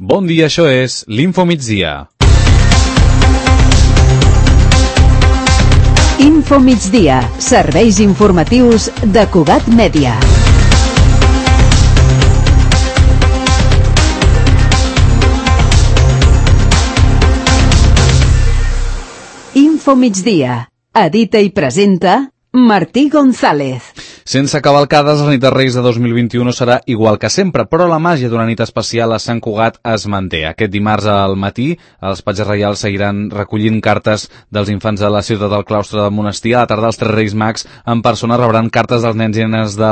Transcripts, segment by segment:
Bon dia, això és l'Info Migdia. Info Migdia, serveis informatius de Cugat Mèdia. Info Migdia, edita i presenta Martí González. Sense cavalcades, la nit de Reis de 2021 serà igual que sempre, però la màgia d'una nit especial a Sant Cugat es manté. Aquest dimarts al matí, els patges reials seguiran recollint cartes dels infants de la ciutat del claustre del monestir. A la tarda, els tres Reis Mags en persona rebran cartes dels nens i nenes de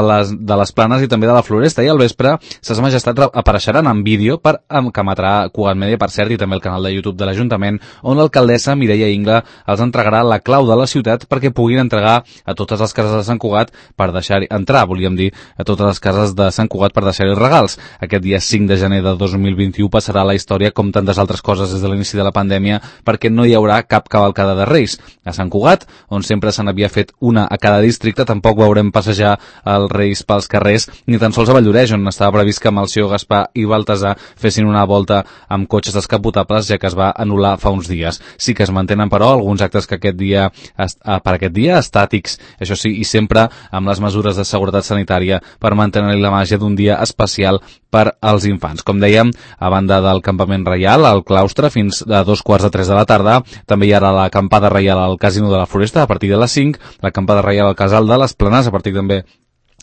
les Planes i també de la Floresta. I al vespre, Ses Majestats apareixeran en vídeo que emetrà Cugat Mèdia, per cert, i també el canal de YouTube de l'Ajuntament, on l'alcaldessa Mireia Ingla els entregarà la clau de la ciutat perquè puguin entregar a totes les cases de Sant Cugat per entrar a totes les cases de Sant Cugat per deixar-hi regals. Aquest dia 5 de gener de 2021 passarà a la història com tantes altres coses des de l'inici de la pandèmia, perquè no hi haurà cap cavalcada de Reis. A Sant Cugat, on sempre se n'havia fet una a cada districte, tampoc veurem passejar els Reis pels carrers, ni tan sols a Valldoreix, on estava previst que Melcior, Gaspar i Baltasar fessin una volta amb cotxes descapotables, ja que es va anul·lar fa uns dies. Sí que es mantenen, però, alguns actes que per aquest dia estàtics, això sí, i sempre amb les mesures de seguretat sanitària per mantenir la màgia d'un dia especial per als infants. Com dèiem, a banda del campament reial al claustre fins a 2:45 de la tarda, també hi ha l'acampada reial al Casino de la Floresta a partir de les 5, l'acampada reial al Casal de les Planes a partir també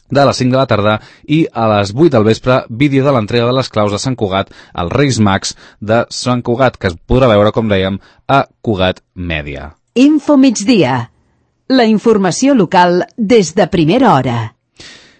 de les 5 de la tarda i a les 8 del vespre, vídeo de l'entrega de les claus de Sant Cugat als Reis Mags de Sant Cugat, que es podrà veure, com dèiem, a Cugat Mèdia. Info Migdia, la informació local des de primera hora.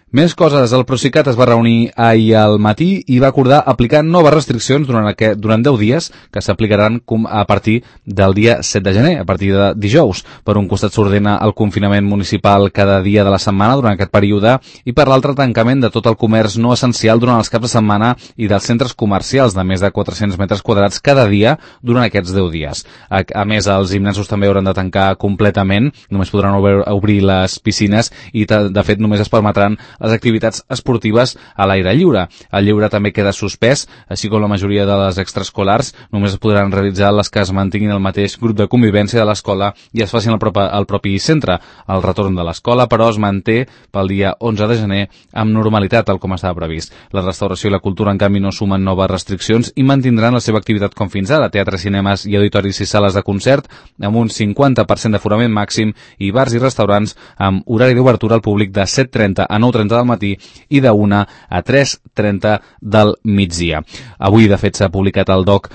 Més coses. El Procicat es va reunir ahir al matí i va acordar aplicar noves restriccions durant 10 dies que s'aplicaran a partir del dia 7 de gener, a partir de dijous. Per un costat s'ordena el confinament municipal cada dia de la setmana durant aquest període i per l'altre tancament de tot el comerç no essencial durant els caps de setmana i dels centres comercials de més de 400 metres quadrats cada dia durant aquests 10 dies. A més, els gimnasos també hauran de tancar completament, només podran obrir les piscines i de fet només es permetran les activitats esportives a l'aire lliure. El lleure també queda suspès, així com la majoria de les extraescolars. Només es podran realitzar les que es mantinguin el mateix grup de convivència de l'escola i es facin al propi centre. El retorn de l'escola, però, es manté pel dia 11 de gener amb normalitat, tal com estava previst. La restauració i la cultura, en canvi, no sumen noves restriccions i mantindran la seva activitat com fins ara: teatres, cinemes i auditoris i sales de concert amb un 50% d'aforament màxim i bars i restaurants amb horari d'obertura al públic de 7:30 a 9:30 del matí i de 1 a 3:30 del migdia. Avui, de fet, s'ha publicat al DOC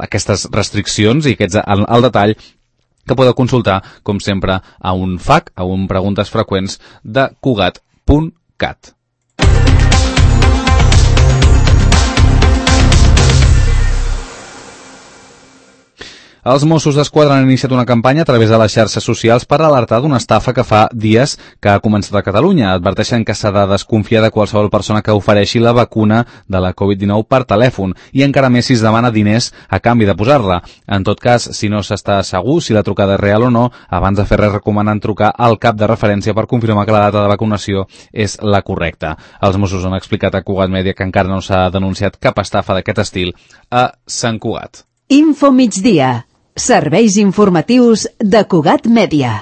aquestes restriccions i aquests al detall, que podeu consultar, com sempre, a un FAQ, a un Preguntes Freqüents de Cugat.cat. Els Mossos d'Esquadra han iniciat una campanya a través de les xarxes socials per alertar d'una estafa que fa dies que ha començat a Catalunya. Adverteixen que s'ha de desconfiar de qualsevol persona que ofereixi la vacuna de la Covid-19 per telèfon i encara més si es demana diners a canvi de posar-la. En tot cas, si no s'està segur si la trucada és real o no, abans de fer res recomanen trucar al cap de referència per confirmar que la data de vacunació és la correcta. Els Mossos han explicat a Cugat Mèdia que encara no s'ha denunciat cap estafa d'aquest estil a Sant Cugat. Info Migdia, serveis informatius de Cugat Mèdia.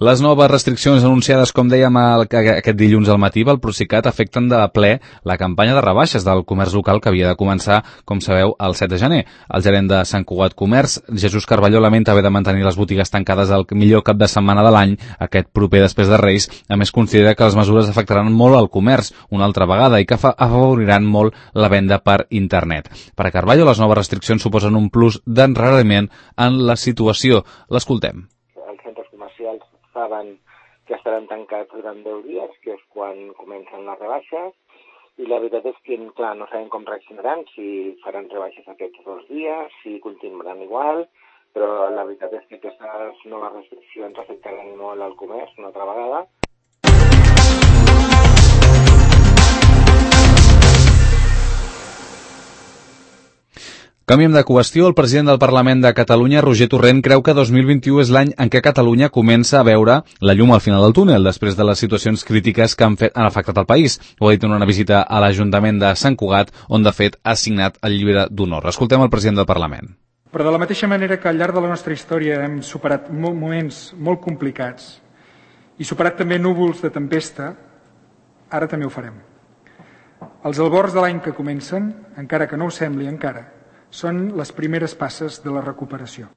Les noves restriccions anunciades, com dèiem, aquest dilluns al matí pel Procicat afecten de ple la campanya de rebaixes del comerç local que havia de començar, com sabeu, el 7 de gener. El gerent de Sant Cugat Comerç, Jesús Carballo, lamenta haver de mantenir les botigues tancades el millor cap de setmana de l'any, aquest proper després de Reis. A més, considera que les mesures afectaran molt al comerç una altra vegada i que afavoriran molt la venda per internet. Per a Carballo, les noves restriccions suposen un plus d'enrariment en la situació. L'escoltem. Saben que estaran tancats durant 10 dies, que és quan comencen les rebaixes, i la veritat és que, clar, no sabem com reaccionaran, si faran rebaixes aquests 2 dies, si continuaran igual, però la veritat és que aquestes noves restriccions afectaran molt al comerç una altra vegada. Canviem de qüestió. El president del Parlament de Catalunya, Roger Torrent, creu que 2021 és l'any en què Catalunya comença a veure la llum al final del túnel, després de les situacions crítiques que han afectat el país. Ho ha dit en una visita a l'Ajuntament de Sant Cugat, on de fet ha signat el llibre d'honor. Escoltem el president del Parlament. Però de la mateixa manera que al llarg de la nostra història hem superat moments molt complicats i superat també núvols de tempesta, ara també ho farem. Els albors de l'any que comencen, encara que no ho sembli encara, són les primeres passes de la recuperació.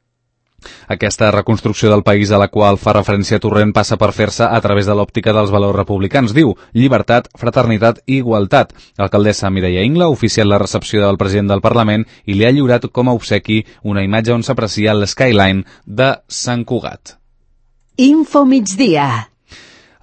Aquesta reconstrucció del país a la qual fa referència Torrent passa per fer-se a través de l'òptica dels valors republicans. Diu llibertat, fraternitat i igualtat. L'alcaldessa Mireia Ingla ha oficiat la recepció del president del Parlament i li ha lliurat com a obsequi una imatge on s'aprecia l'skyline de Sant Cugat. Info migdia.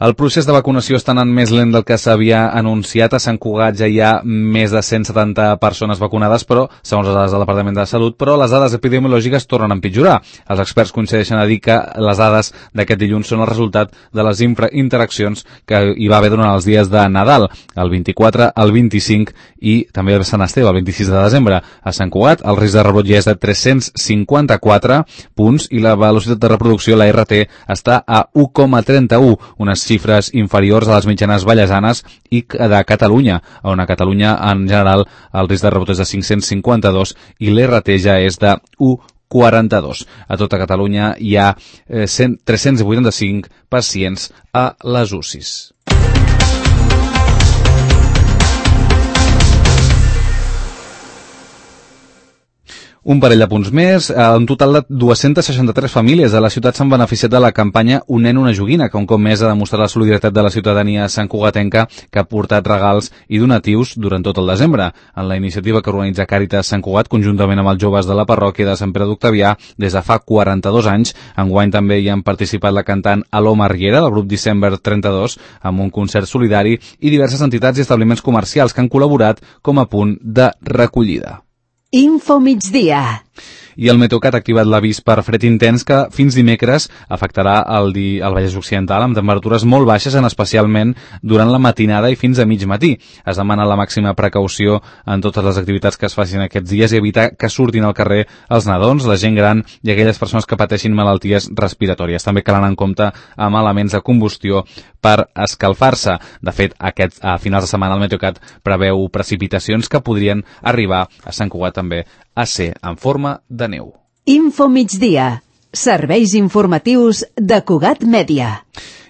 El procés de vacunació està anant més lent del que s'havia anunciat. A Sant Cugat ja hi ha més de 170 persones vacunades, però segons les dades del Departament de Salut, però les dades epidemiològiques tornen a empitjorar. Els experts coincideixen a dir que les dades d'aquest dilluns són el resultat de les interaccions que hi va haver durant els dies de Nadal, el 24, el 25 i també el Sant Esteve, el 26 de desembre. A Sant Cugat el risc de rebrot ja és de 354 punts i la velocitat de reproducció, la RT, està a 1,31, unes xifres inferiors a les mitjanes vallesanes i de Catalunya, on a Catalunya en general el risc de rebot és de 552 i l'RT ja és de 1,42. A tota Catalunya hi ha 385 pacients a les UCIs. Un parell de punts més. Un total de 263 famílies de la ciutat s'han beneficiat de la campanya Un nen, una joguina, que un cop més ha demostrat la solidaritat de la ciutadania santcugatenca, que ha portat regals i donatius durant tot el desembre. En la iniciativa que organitza Càritas Sant Cugat, conjuntament amb els joves de la parròquia de Sant Pere d'Octavià, des de fa 42 anys, enguany també hi han participat la cantant Aloma Riera, del grup December 32, amb un concert solidari, i diverses entitats i establiments comercials que han col·laborat com a punt de recollida. Info migdia. I el Meteocat ha activat l'avís per fred intens que fins dimecres afectarà el Vallès Occidental amb temperatures molt baixes, especialment durant la matinada i fins a mig matí. Es demana la màxima precaució en totes les activitats que es facin aquests dies i evitar que surtin al carrer els nadons, la gent gran i aquelles persones que pateixin malalties respiratòries. També cal anar en compte amb elements de combustió per escalfar-se. De fet, a finals de setmana el Meteocat preveu precipitacions que podrien arribar a Sant Cugat també a ser en forma de neu. Info migdia. Serveis informatius de Cugat Mèdia.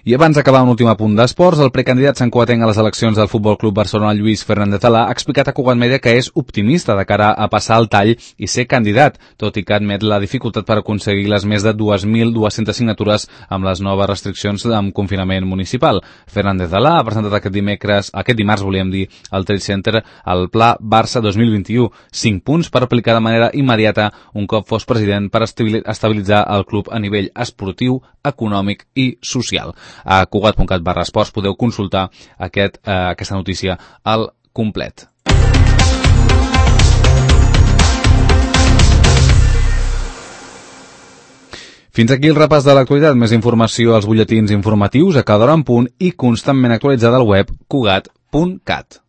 I abans d'acabar un últim apunt d'esports, el precandidat santcugatenc a les eleccions del Futbol Club Barcelona, Lluís Fernández Alà, ha explicat a Cugat Mèdia que és optimista de cara a passar el tall i ser candidat, tot i que admet la dificultat per aconseguir les més de 2.200 signatures amb les noves restriccions amb confinament municipal. Fernández Alà ha presentat aquest dimarts, al Trade Center, el Pla Barça 2021, 5 punts per aplicar de manera immediata un cop fos president per estabilitzar el club a nivell esportiu, econòmic i social. A cugat.cat/esports podeu consultar aquesta notícia al complet. Fins aquí el repàs de l'actualitat. Més informació als butlletins informatius a cada hora en punt i constantment actualitzada al web cugat.cat.